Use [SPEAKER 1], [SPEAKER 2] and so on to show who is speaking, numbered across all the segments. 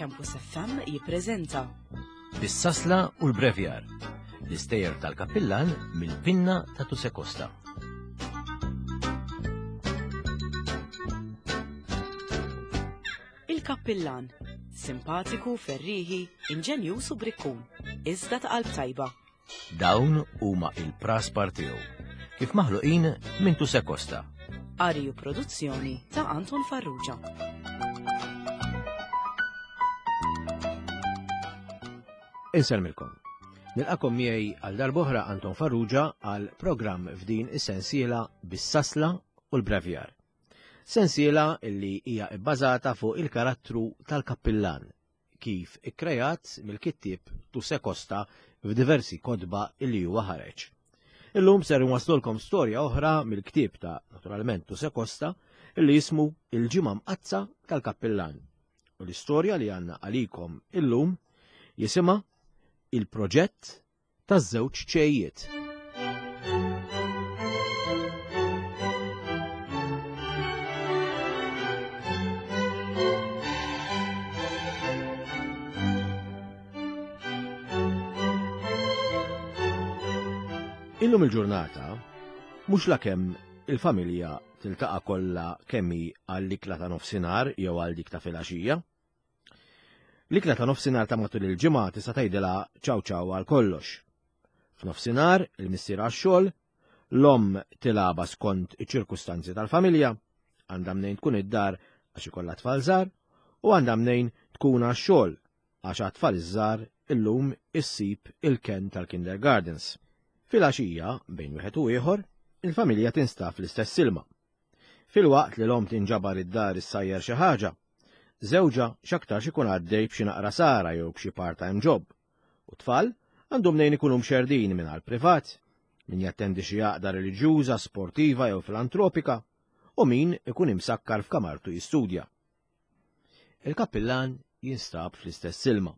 [SPEAKER 1] Campus FM jippreżenta
[SPEAKER 2] Bis-sasla u l-brevjar, l-istejjer tal-kappillan mill-pinna ta' Tuse Costa.
[SPEAKER 1] Il-Kappillan, simpatiku, ferrieħi, inġenjuż u brikkun, iżda ta' qalb tajba.
[SPEAKER 2] Dawn huma il-praspar tiegħu, kif maħluqin minn Tuse Costa.
[SPEAKER 1] Qari u produzzjoni ta' Anton Farrugia.
[SPEAKER 2] Insellmilkom. Nilqakom miegħi għal darb'oħra Anton Farrugia għal programm f'din is-sensiela bis-sasla u l-brevjar. Sensiela illi hija bbażata fuq il-karattru tal-kappillan kif ikkreat mill-kittieb Tuse Costa f'diversi kotba illi huwa ħareġ. Illum ser inwaslulkom storja oħra mill-ktieb ta' naturalment Tuse Costa illi jismu Il-Ġimgħa Mqaddsa tal-Kappillan. U l-istorja li għandna għalikom illum jisimha Il-Proġett taż-żewġ ċejjiet. Illum il-ġurnata, mhux lakemm il-familja tiltaqa' kollha kemm hi għall-ikla ta' nofsinhar jew għal dik ta' filgħaxija. L-ikla ta' nofsinhar ta' matul il-ġimgħa tista' tgħidilha ċaw ċaw għal kollox. F'nofsinhar il-missier għax-xogħol, l-omm tilgħabha skont iċ-ċirkustanzi tal-familja, għandha mnejn tkun id-dar għax ikollha tfal żgħar, u għandha mnejn tkun għax-xogħol għax għat-tfal iż-żgħar illum issib il-kenn tal-kindergardens. Filgħaxija, bejn wieħed u ieħor, il-familja tinstab fl-istess ilma. Filwaqt li l-omm tinġabar id-dar issajjar xi ħaġa, żewġha x'aktarx ikun għaddej b'xi naqra sara jew b'xi part-time job, u t-tfal għandhom mnejn ikunu mxerrdin minn għall-privat, min jattendi xi għaqda reliġjuża, sportiva jew filantropika, u min ikun imsakkar f'kamartu jistudja. Il-kappillan jinstab fl-istess ilma,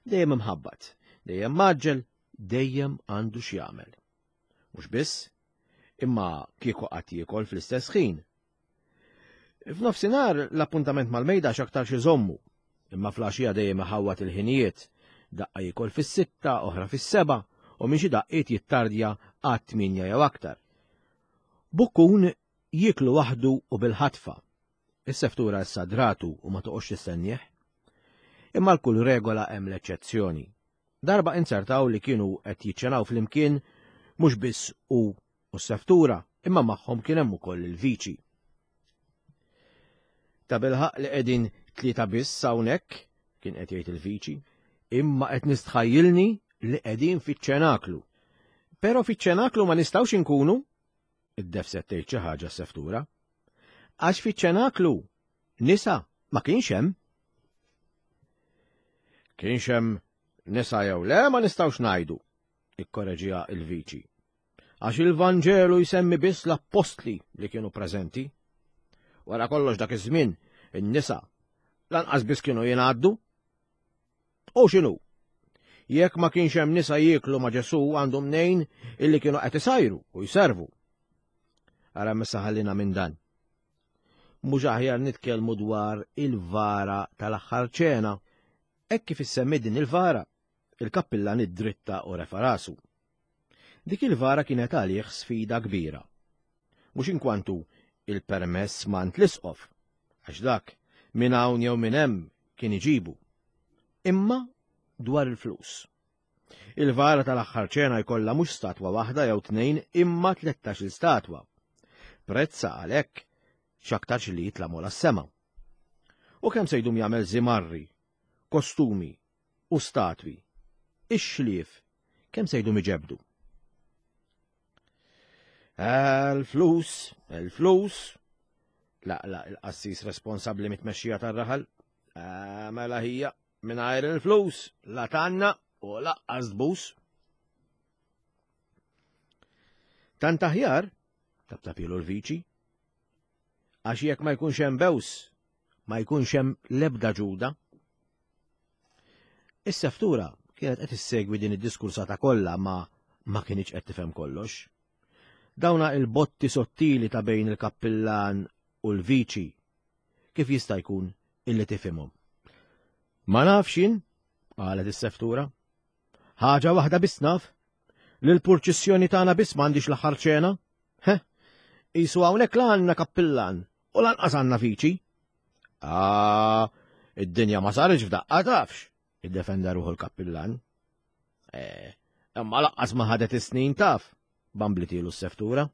[SPEAKER 2] dejjem imħabbat, dejjem mgħaġġel, dejjem għandu x'jagħmel. Mhux biss, imma kieku qatt jiekol fl-istess ħin. F'nofsinhar l-appuntament mal-mejda x'aktarx iżommu, imma fl-għaxija dejjem iħawwad il-ħinijiet, daqqa jiekol fis-sitta, oħra fis-seba', u minn xi daqqiet jittardja għat-tmienja jew aktar. Bukkun jieklu waħdu u bil-ħatfa. Is-seftura issa dratu u ma toqgħodx tistennieh. Imma l-kull regola hemm l-eċċezzjoni. Darba inzertaw li kienu qed jiċċenaw flimkien mhux biss hu u s-seftura, imma magħhom kien hemm ukoll il-viċi. Tabilħaqq li qegħdin tlieta biss hawnhekk, kien qed jgħid il-viċi, imma qed nistħajjilni li qegħdin fiċ-ċenaklu. Però fiċ-ċenaklu ma nistgħux inkunu, iddefset tgħid xi ħaġa s-seftura. Għax fiċ-ċenaklu nisa ma kienx hemm. Kienx hemm nisa jew le ma nistgħux ngħidu, ikkoreġiha il-viċi. Għax il-Vanġelu jsemmi biss l-appostli li kienu preżenti. Wara kollox dak iż-żmien in-nisa lanqas biss kienu jingħaddu. U x'inhu? Jekk ma kienx hemm nisa jieklu ma' Ġesù għandu mnejn illi kienu qed isajru u jservu. Ara missa ħallina minn dan. Mhux aħjar nitkellmu dwar il-vara tal-aħħar ċena. Hekk kif issemmi din il-vara, il-kappillan iddritta u refa' rasu. Dik il-vara kienet għalih sfida kbira. Mhux inkwantu il-permess m'għand l-isqof, għax dak minn hawn jew minn hemm kien iġibu. Imma dwar il-flus. Il-vara tal-aħħar ċena jkollha mhux statwa waħda jew tnejn imma tlettax-il statwa. Prezza għalhekk x'aktarx li jitla' mola s-sema. U kemm se jdum jagħmel żimarri, kostumi u statwi. Ix-xlief kemm se jdum iġebbdu. Il-flus, il-flus, laqlaq il-qassis responsabbli mit-tmexxija tar-raħal. Ah, mela hija, Mingħajr il-flus, la tanna u laqqas tbus. Tant aħjar, taptapilu l-viċi, għax jekk ma jkunx hemm bews, ma jkunx hemm l-ebda ġuda. Is-seftura kienet qed issegwi din id-diskursata kollha ma ma kienx qed tifhem kollox. Dawna il-botti sottili ta' bejn il-kappillan u l-viċi kif jista' jkun illi tifhimhom. Ma nafx jien, qalet is-seftura. Ħaġa waħda biss naf, li l-purċissjoni tagħna biss m'għandix l-aħħar ċena. He, qisu hawnhekk la għandna kappillan u lanqas għandna viċi. Ah, id-dinja ma saritx f'daqqa tafx, iddefenda ruħu l-kappillan. Eh, imma laqqas ma ħadet is-snin taf, bamblitilu s-seftura.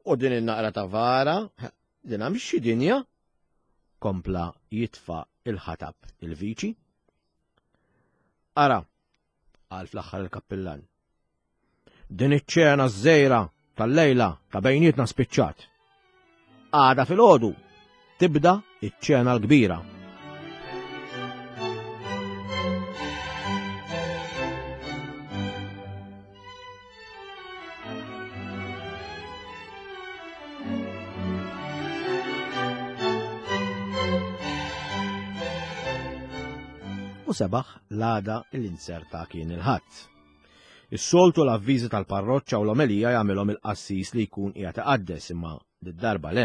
[SPEAKER 2] U din in-naqra ta' vara, din mhix xi dinja, kompla jitfa' il-ħatab il-viċi. Ara, qal fl-aħħar il-kappillan. Din iċ-ċena żejra tal-lejla ta' bejnietna spiċċat. Għada filgħodu tibda iċ-ċena l-kbira. U sebaħ l-għada l-inserta kien il-ħadd. Is-soltu l-avviżi tal-parroċċa u l-omelija jagħmilhom il-qassis li jkun qiegħed iqaddes imma did-darba le.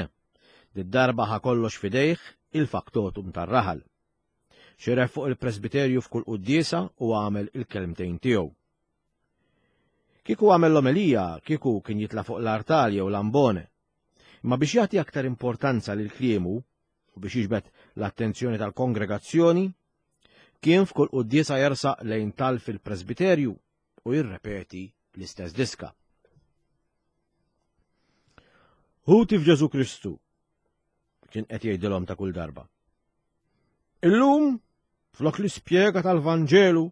[SPEAKER 2] Did-darba ħa kollox f'idejh il-faktotum tar-raħal. Xiref fuq il-presbiterju f'kull quddiesa u għamel il-kelmtejn tiegħu. Kieku għamel l-omelija, kieku kien jitla' fuq l-artal jew l-ambone. Imma biex jagħti aktar importanza lil kliemu u biex jiġbed l-attenzjoni tal-kongregazzjoni, kien f'kull quddiesa jersaq lejn tal fil-presbiterju u jirrepeti l-istess diska. Ħuti f'Ġesu Kristu, kien qed jgħidilhom ta' kull darba. Illum, flok l-ispjega tal-Vanġelu,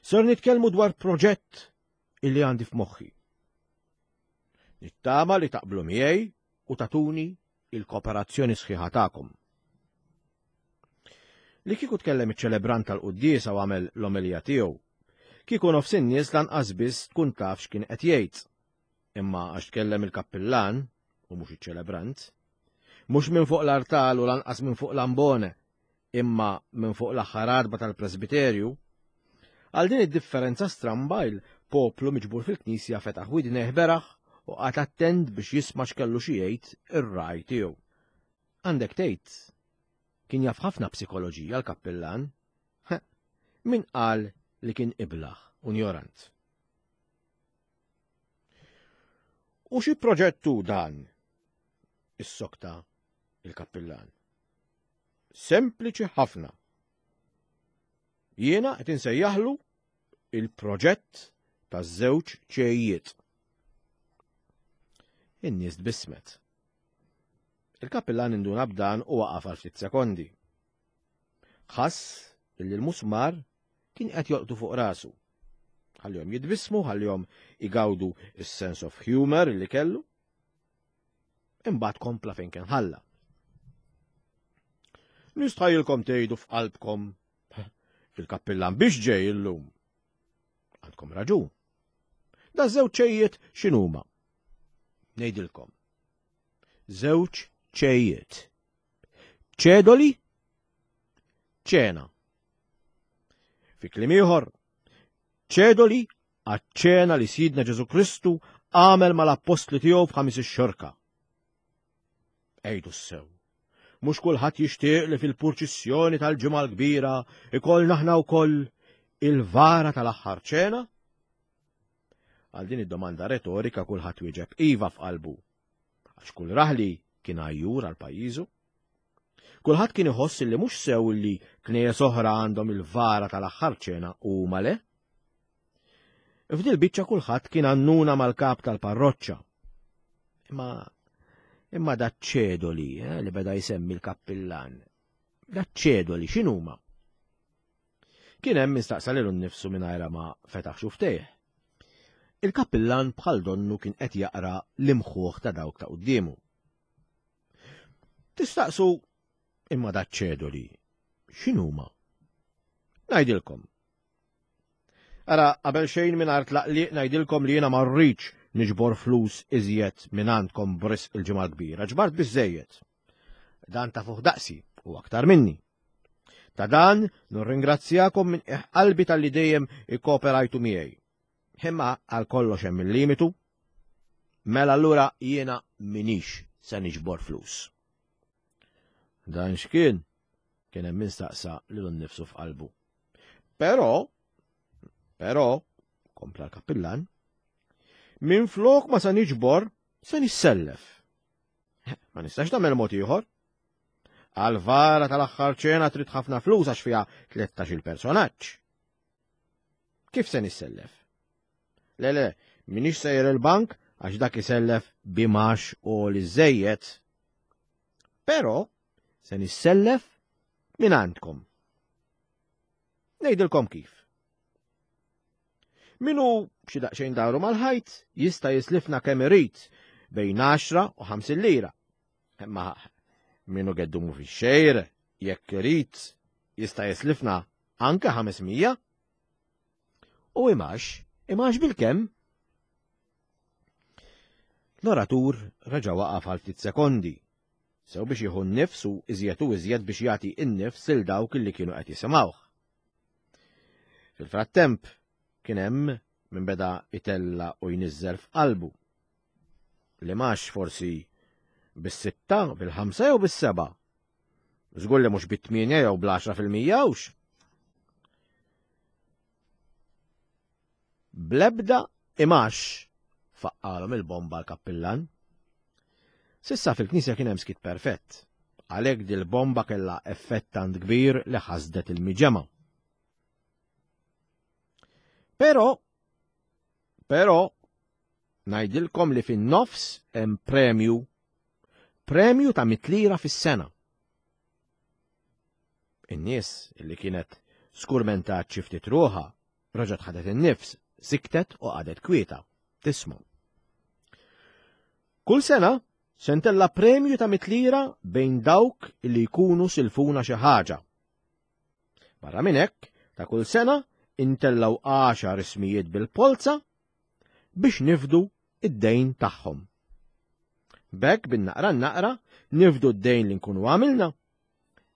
[SPEAKER 2] ser nitkellmu dwar proġett illi għandi f'moħħi. Nittama li taqblu miegħi u tatuni il-kooperazzjoni sħiħa tagħkom. Li kieku tkellem iċ-ċelebrant tal-quddiesa u għamel l-omelija tiegħu, kieku nofs in-nies lanqas biss tkun taf x'kien qed jgħid. Imma għax tkellem il-kappillan u mhux iċ-ċelebrant, mhux minn fuq l-artal u lanqas minn fuq l-ambone, imma minn fuq l-aħħar għatba tal-presbiterju, għal din id-differenza stramba il-poplu miġbur fil-knisja fetaħ widnejh beraħ u qagħad attent biex jisma' x'kellu xi jgħid ir-ragħaj tiegħu. Għandek tgħid, kien jaf ħafna psikoloġija l-kappillan. Min qal li kien iblah u njorant. U xi proġett hu dan? Issokta il-kappillan. Sempliċi ħafna. Jiena qed insejjaħlu il-proġett taż-żewġ ċejjiet. In-nies tbissmet. Il-kappillan induna b'dan u waqaf għal ftit sekondi. Ħass illi l-musmar kien qed jolqtu fuq rasu. Ħallihom jitbissmu, ħallihom igawdu is-sense of humor li kellu. Imbagħad kompla fejn kien ħalla. Nistħajilkom tgħidu f'qalbkom il-kappillan biex ġej illum. Għandkom raġun. Da żewġ ċejjiet x'inhuma? Ngħidilkom. Żewġ ċejjiet. Ċedoli? Ċena. Fi kliem ieħor, ċedoli għaċ-ċena li Sidna Ġesu Kristu għamel mal-appostli tiegħu f'ħamis ix-xorka. Ejdu sew. Mhux kulħadd jixtieq li fil-purċissjoni tal-ġimgħa l-kbira ikollna aħna wkoll il-vara tal-aħħar ċena? Għal din id-domanda retorika kulħadd wieġeb iva f'qalbu. Għax kull raħli kien għajjur għal pajjiżu. Kulħadd kien iħoss li mhux sew li knejjes oħra għandhom il-vara tal-aħħar ċena u huma le. F'dil biċċa kulħadd kien għannuna mal-kap tal-parroċċa. Imma imma daċ-ċedoli eh, li beda jsemmi l-kappillan. Daċ-ċedoli x'inhuma? Kien hemm min staqsa lilu nnifsu mingħajr ma fetaħ xuftejh. Il-kappillan bħal donnu kien qed jaqra l-imħuħ ta' dawk ta' quddiemu. Tistaqsu imma daċ-ċedoli x'inhuma? Ngħidilkom. Ara, qabel xejn mingħajr tlaqliq ngħidilkom li jiena ma rridx niġbor flus iżjed minn għandkom b'risq il-Ġimgħa l-Kbira. Ġbart biżżejjed. Dan ta' fuq daqsi u aktar minni. Ta' dan nirringrazzjakom minn qalbi tal-li dejjem ikkooperajtu miegħi. Imma għal kollox hemm il-limitu. Mela allura jiena minix se niġbor flus. Dan x'kien? Kien hemm min staqsa lilu nnifsu f'qalbu. Però, però, kompla l-kappillan, minflok ma sa niġbor, se nissellef. Ma nistax nagħmel mod ieħor. Għal-vara tal-aħħar ċena trid ħafna flus għax fiha 13 il-personaġġ. Kif se nissellef? Le, le, minix sejjer il-bank għax dak isellef bimax u li żejjed. Però se nissellef minn għandkom. Ngħidilkom kif. Minu xi daqsxejn daru mal-ħajt jista' jislifna kemm irid bejn 10 u 50 lira. Imma minu geddumu fix-xejr jekk irid jista' jislifna anke 500. U imax, imax bil-kemm? L-oratur reġa' waqaf għal ftit sekondi, sew biex jieħu n-nifs u iżjed u iżjed biex jagħti n-nifs lil dawk li kienu qed jisimgħuh. Fil-frattemp kien hemm min beda itella u jniżżel f'qalbu. Li max forsi bis-sitta, bil-ħamsa jew bis-seba'. Żgur li mhux bit-tmienja jew bl-10 fil-mija hux. Bl-ebda imax faqqalhom il-bomba l-kappillan. S'issa fil-knisja kien hemm skiet perfett. Għalhekk dil-bomba kellha effett tant kbir li ħasdet il-miġemgħa. Però, però, ngħidilkom li fin-nofs hemm premju, premju ta' mitlira fis-sena. In-nies li kienet skurmentat xi ftit ruħha Reġgħet ħadet in-nifs, siktet u qagħdet kwieta, tisma'. Kull sena se ntella' premju ta' mitlira bejn dawk li jkunu silfuna xi ħaġa. Barra minn hekk, ta' kull sena intellgħu għaxar ismijiet bil-polza biex nifdu id-dejn tagħhom. B'hekk bin-naqra naqra nifdu d-dejn li nkunu għamilna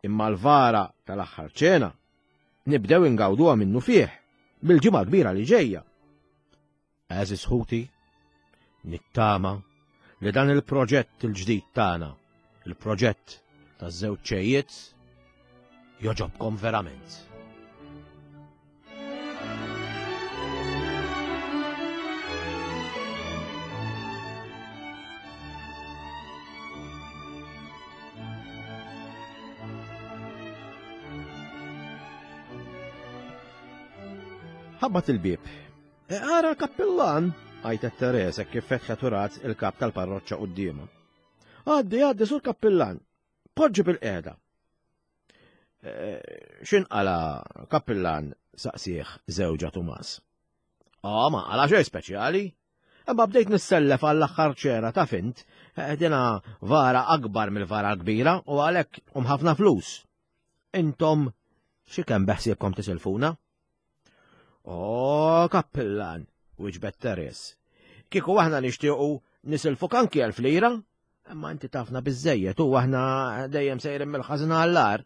[SPEAKER 2] Imma l-vara tal-aħħar ċena nibdew ingawduha minnufih mill-ġimgħa kbira li ġejja. Għeżież ħuti, nittama li dan il-proġett il-ġdid tagħna, il-proġett taż-żewġ ċejjiet, joġobkom verament. Ħabbat il-bieb. E ara l-kappillan, għajtet Teresa kif fetħet u rat il-kap tal-parroċċa quddiemha. Għaddi, għaddi sur kappillan, poġġi bil-qiegħda. Eh, x'inqala kappillan saqsih żewġa Tumas. Ah, ma qala xejn speċjali. Imma bdejt nissellef għall-aħħar ċera ta' fint, eh, dina vara akbar mill-vara kbira u għalhekk um ħafna flus. Intom xi kemm beħsiebkom tisilfuna? O, kappillan, wiġbet Teres. Kieku aħna nixtiequ nisilfuk anki elf lira, Imma inti tafna biżejjed u aħna dejjem sejrin mill-ħażin għall-agħar.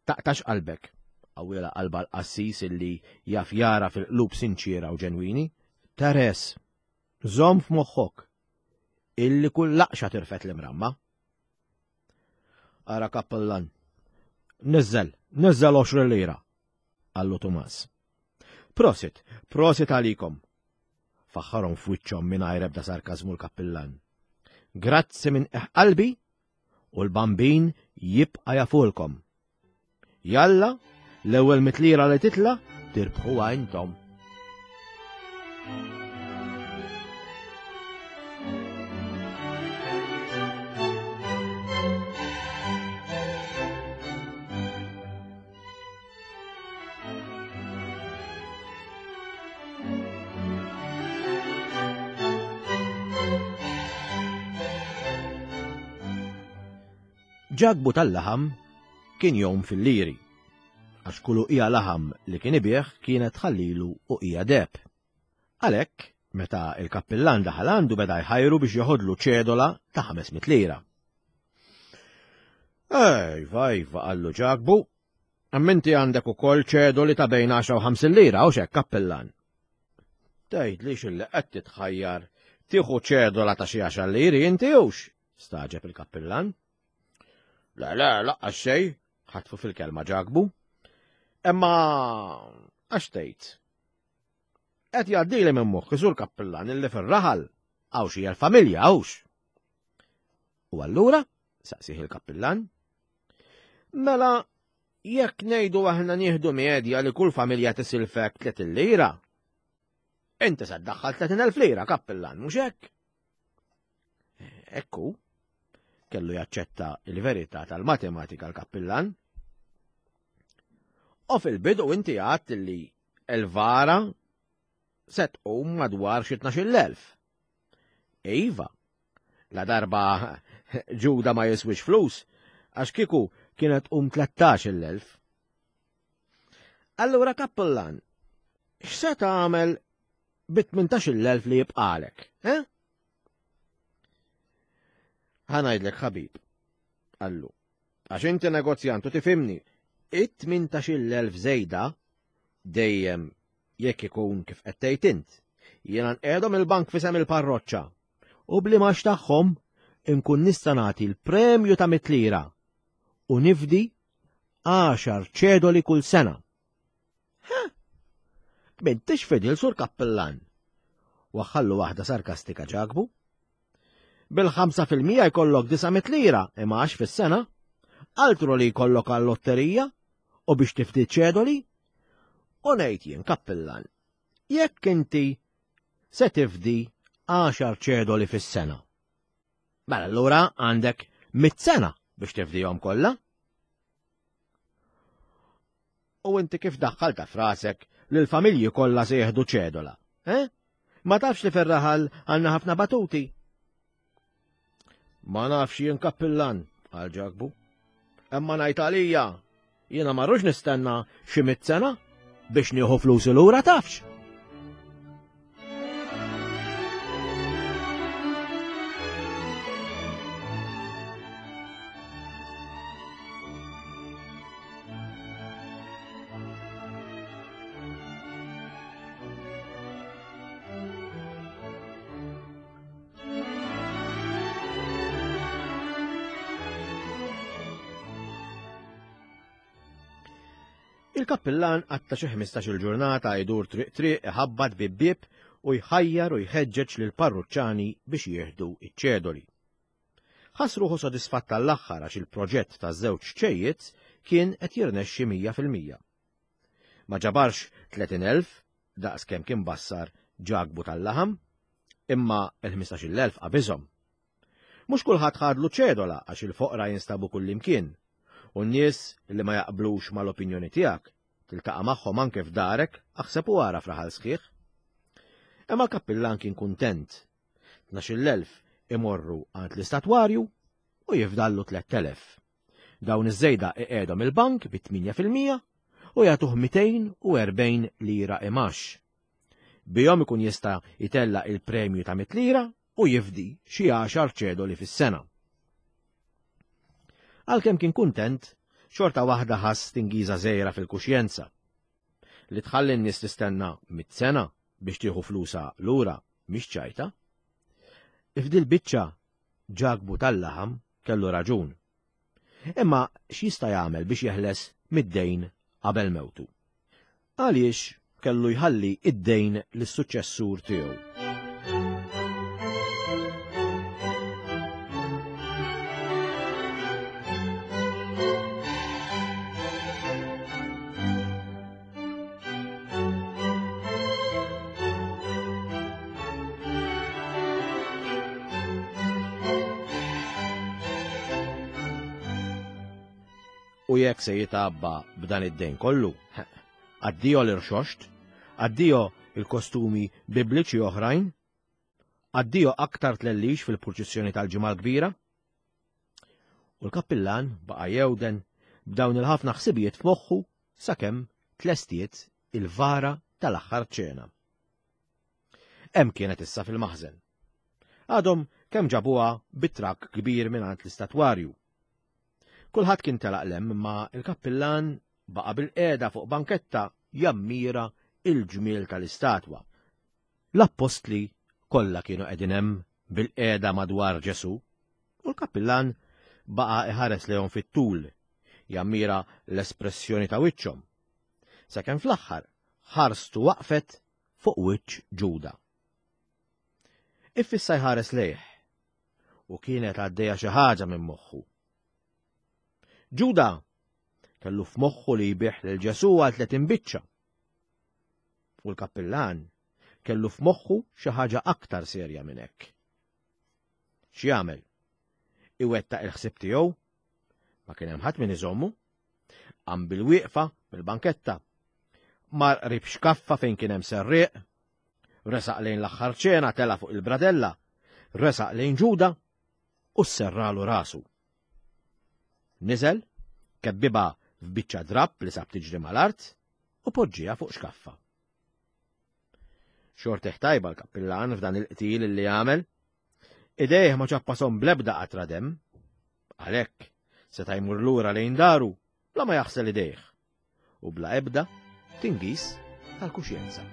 [SPEAKER 2] Taqtax qalbek, qawwielha qalbha l-qassis illi jaf jara fil-qlub sinċiera u ġenwini. Teres, żomm f'moħħok illi kull laqxa tirfed l-imramma. Ara kappellan, niżżel, niżżel 20 lira, qallu Tumas. Prosit, prosit għalikom, Faħħarhom f'wiċċhom mingħajr ebda sarkażmu l-kappillan. Grazzi minn qiegħ qalbi u l-Bambin jibqa' jafulkom. Jalla, l-ewwel mitlira li titla' tirbħuha intom. Ġakbu tal-laħam kien jom fil-liri, għax kull uqija laħam li kien ibigħ kienet tħallilu uqija deheb. Għalhekk, meta il-kappillan daħal għandu beda jħajru biex joħodlu ċedola ta' 500 lira. Ejva, ejva, qallu Ġakbu, Imma inti għandek ukoll ċedoli ta' bejn 10 u 50 lira, hux hekk, kappillan? Tgħidlix illi qed titħajjar tieħu ċedola ta' xi għaxar liri inti hux? Stagħġeb il-kappillan. Le, le, laqqas xejn. Ħatfu fil-kelma Ġakbu. Imma għax tgħid? Qed jgħaddili minn moħħi sur kappillan illi fir-raħal hawn xi familja hawnx. U allura, saqsih il-kappillan, mela jekk ngħidu aħna nieħdu medja li kull familja tisilfek 30 lira, inti se ddaħħal 30,000 lira kappillan, mhux hekk? Ekku, kellu jaċċetta il-verità tal-matematika l-kappillan. U fil-bidu inti għadt li l-vara se tqum madwar xi 12,000. Iva, la darba ġuda ma jiswix flus, għax kieku kienet tqum 13,000. Allura kappillan, x'se tagħmel bi 18,000 li jibqalek, eh? Ħa ngħidlek ħabib, qallu, għax inti negozjant u tifhimni, it-18,000 żejda dejjem jekk ikun kif qed tgħid int. Jiena nqiegħdhom il-bank f'isem il-parroċċa u bl-imax tagħhom inkun nista' nagħti l-premju ta' mitlira u nifdi għaxar ċedoli kull sena. Ha! M'intix fidil sur kappillan. Waħħallu waħda sarkastika Ġakbu. Bil-5% jkollok 900 lira imgħax fis-sena, altru li jkollok għal-lotterija u biex tifdi ċedoli. U ngħid jien kappillan, jekk inti se tifdi 10 ċedoli fis-sena. Mela allura għandek mit sena biex tifdihom kollha. U inti kif daħħalta f'rasek li l-familji kollha se jieħdu ċedola? Eh? Ma tafx li fir-raħal għandna ħafna batuti? Ma nafx jien kappillan, għal Ġakbu. Imma ngħid għalija, jiena ma rrux nistenna xi mit sena biex nieħu flusi lura tafx. Il-kappillan qatta' xi 15-il ġurnata jdur triq triq iħabbat bieb bieb u jħajjar u jħeġġeġ lill-parruċċani biex jieħdu ċ-ċedoli. Ħass ruħu sodisfatt għall-aħħar għax il-proġett taż-żewġ ċejjiet kien qed jirnexxi 100%. Ma ġabarx 30,000 daqs kemm kien bassar Ġakbu tal-laħam, imma l-15,000 qabiżhom. Mhux kulħadd ħadlu ċedola għax il-foqra jinstabu kullimkien, u n-nies li ma jaqblux mal-opinjoni tiegħek tiltaqa' magħhom anke f'darek aħseb u ara f'raħal sħiħ. Imma l-kappillan kien kuntent 12,000 imorru għand l-istatwarju u jifdallu 3,000. Dawn iż-żejda iqiegħdhom il-bank bi 8% u jagħtuh 240 lira imax. Bihom ikun jista' jtella' il-premju ta' 100 lira u jifdi xi għaxar ċedoli fis-sena. Għalkemm kien kuntent, xorta waħda ħass tingiża żgħira fil-kuxjenza. Li tħalli n-nies tistenna mit sena biex tieħu flusha lura mhix ċajta. F'dil-biċċa Ġakbu tal-laħam kellu raġun. Imma x'jista' jagħmel biex jeħles mid-dejn qabel mewtu? Għaliex kellu jħalli id-dejn lis-suċċessur tiegħu? U jekk se jitgħabba b'dan id-dejn kollu, addio l-irxoxt, addio il-kostumi bibliċi oħrajn, addio aktar tlellix fil-purċissjoni tal-ġimgħa l-kbira. U l-kappillan baqa' jewden b'dawn il-ħafna ħsibijiet f'moħħu sakemm tlestiet il-vara tal-aħħar ċena. Hemm kienet issa fil-maħżen. Għadhom kemm ġabuha bi trakk kbir mingħand l-istatwarju. Kulħadd kien telaq 'l hemm imma l-kappillan baqa' bilqiegħda fuq banketta jammira il-ġmiel tal-istatwa. L-appostli kollha kienu qegħdin hemm bilqiegħda madwar Ġesù u l-kappillan baqa' iħares lejhom fit-tul. Jammira l-espressjoni ta' wiċċhom. Sakemm fl-aħħar ħarstu waqfet fuq wiċċ Ġuda. Iffissa jħares lejh u kienet għaddejja xi ħaġa minn moħħu. Ġuda kellu f'moħħu li jbigħ lil Ġesù għal 30 biċċa. U l-kappillan kellu f'moħħu xi ħaġa aktar serja minn hekk. X'jagħmel? Iwettaq il-ħsieb tiegħu? Ma kien hemm ħadd min iżommu. Qam bil-wieqfa mill-banketta. Mar qrib xkaffa fejn kien hemm serrieq. Resaq lejn l-aħħar ċena tela' fuq il-bradella. Resaq lejn Ġuda u sserralu rasu. Niżel, kebbibha f'biċċa drapp li sab tiġri mal-art u poġġiha fuq xkaffa. Xortih tajba l-kappillan f'dan il-qtil li għamel. Idejh ma ċappasom bl-ebda qatra demm. Għalhekk seta' jmur lura lejn daru bla ma jaħsel idejh u bla ebda tingiż tal-kuxjenza.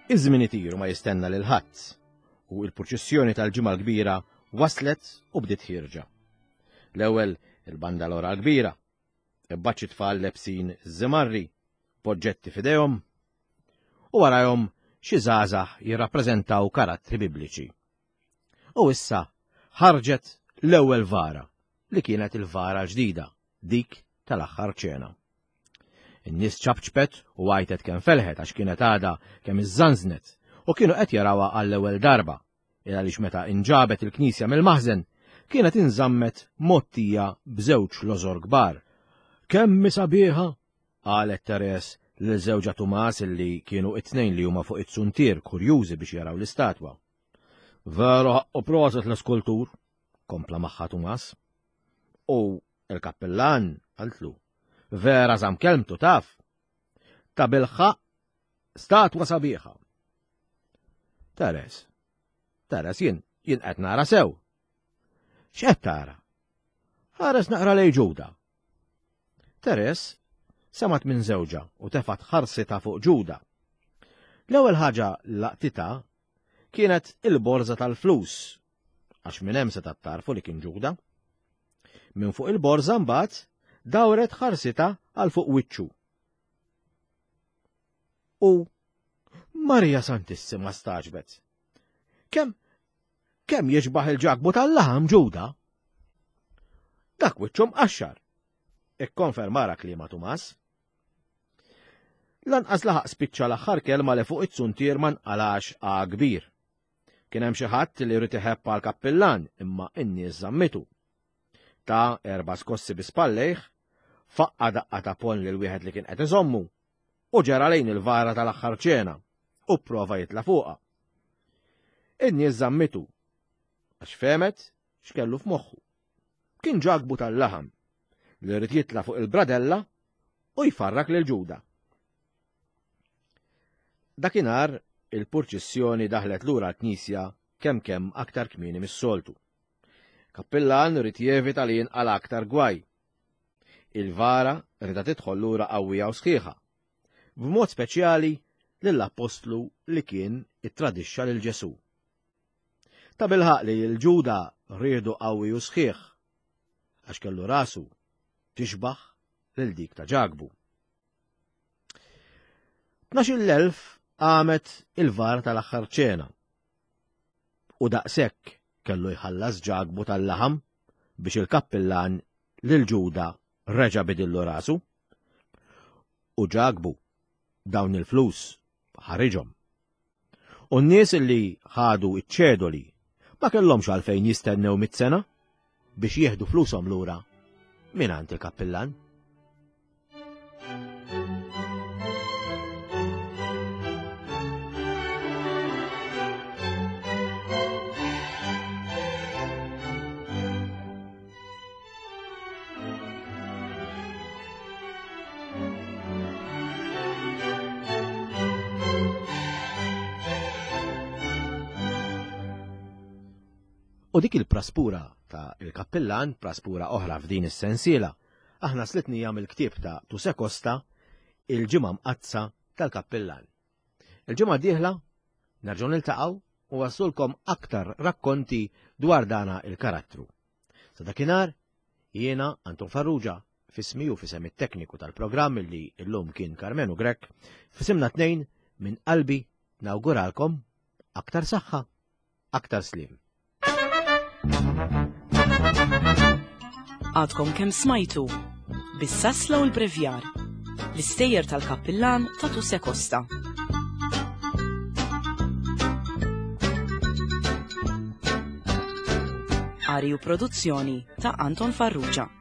[SPEAKER 2] Iż-żmien itir u ma jistenna lil ħadd u l-purċissjoni tal-Ġimgħa l-Kbira waslet u bdiet ħierġa. L-ewwel il-bandalora l-kbira, imbagħad xi tfal lebsin żimarri, b'oġġetti f'idejhom, u warajhom xi żgħażagħ jirrappreżentaw karattri bibliċi. U issa ħarġet l-ewwel vara, li kienet il-vara l-ġdida, dik tal-aħħar ċena. In-nies ċapċpet u għajtet kemm felħet għax kienet għadha kemm iżżanżnet u kienu qed jarawha għall-ewwel darba, il għaliex meta inġabet il-knisja mill-maħżen kienet inżammet mgħottija b'żewġ lożor kbar. Kemm hi sabiħa! qalet Therese lil żewġha Tumas illi kienu it-tnejn li huma fuq it-zuntier kurjużi biex jaraw l-istatwa. Veru ħaqqu proset l-iskultur, kompla magħha Tumas. U il-kappillan, qaltlu, vera żamm kelmtu taf. Ta' bilħaqq statwa sabiħa. Teres, Teres jien, jien qed nara sew. X'qed tara? Ħares naqra lej Ġuda. Teres semgħet minn żewġha u tefgħet ħarsitha fuq Ġuda. L-ewwel ħaġa laqtitha kienet il-borża tal-flus, għax minn hemm setgħet tarfu li kien Ġuda. Minn fuq il-borża mbagħad dawret ħarsitha għal fuq wiċċu. U Marija Santissima staġbet. Kemm kemm jixbaħ il-ġakbu tal-laħam Ġuda? Dak wiċċu mqaxxar. Ikkonfermara kliema Tumas. Lanqas laħaq spiċċa l-aħħar kelma li fuq it-zuntier ma nqalax A kbir. Kien hemm xi ħadd li jrid iħebb għal kappillan imma n-nies żammitu. Ta erba' skossi bi spallejh, faqqa daqqa ta' ponn lil wieħed li kien qed iżommu u ġera lejn il-vara tal-aħħar ċena u pprova jitla' fuqha. In-nies żammitu għax fehmet x'kellu f'moħħu. Kien Ġakbu tal-laħam li rrid jitla' fuq il-bradella u jfarrak lil Ġuda. Dakinhar il-purċissjoni daħlet lura l-knisja kemm kemm aktar kmieni mis-soltu. Kappillan ried jevita li jinqala' aktar gwaj. Il-vara rida tidħol lura qawwija u sħiħa, b'mod speċjali lill-appostlu li kien ittradixxa lil Ġesù. Tabilħaqq li lil Ġuda riedu qawwi u sħiħ, għax kellu rasu tixbah lil dik ta' Ġakbu. 12,000 qamet il-vara tal-aħħar ċena. U daqshekk kellu jħallas Ġakbu tal-laħam biex il-kappillan lil Ġuda reġa' bidillu rasu. U Ġakbu dawn il-flus ħariġhom. U n-nies li ħadu ċ-ċedoli ma kellhomx għalfejn jistennew mit-sena biex jieħdu flushom lura mingħand il-kappillan. U dik il-praspura ta' il-kappillan, praspura oħra f'din is-sensiela, aħna slitnija mill-ktieb ta' Tuse Costa, Il-Ġimgħa Mqaddsa tal-Kappillan. Il-ġimgħa d-dieħla nerġgħu niltaqgħu u wassulkom aktar rakkonti dwar dana il-karattru. Sa dakinhar, jiena Anton Farrugia, fismi u fisem it-tekniku tal-programm li llum kien Karmenu Grech, fisimna tnejn minn qalbi nawguralkom aktar saħħa, aktar sliem.
[SPEAKER 1] Għadkom kemm smajtu bis-sasla u l-brevjar l-istejjer tal-kappillan ta' Tuse Costa. Qari u produzzjoni ta' Anton Farrugia.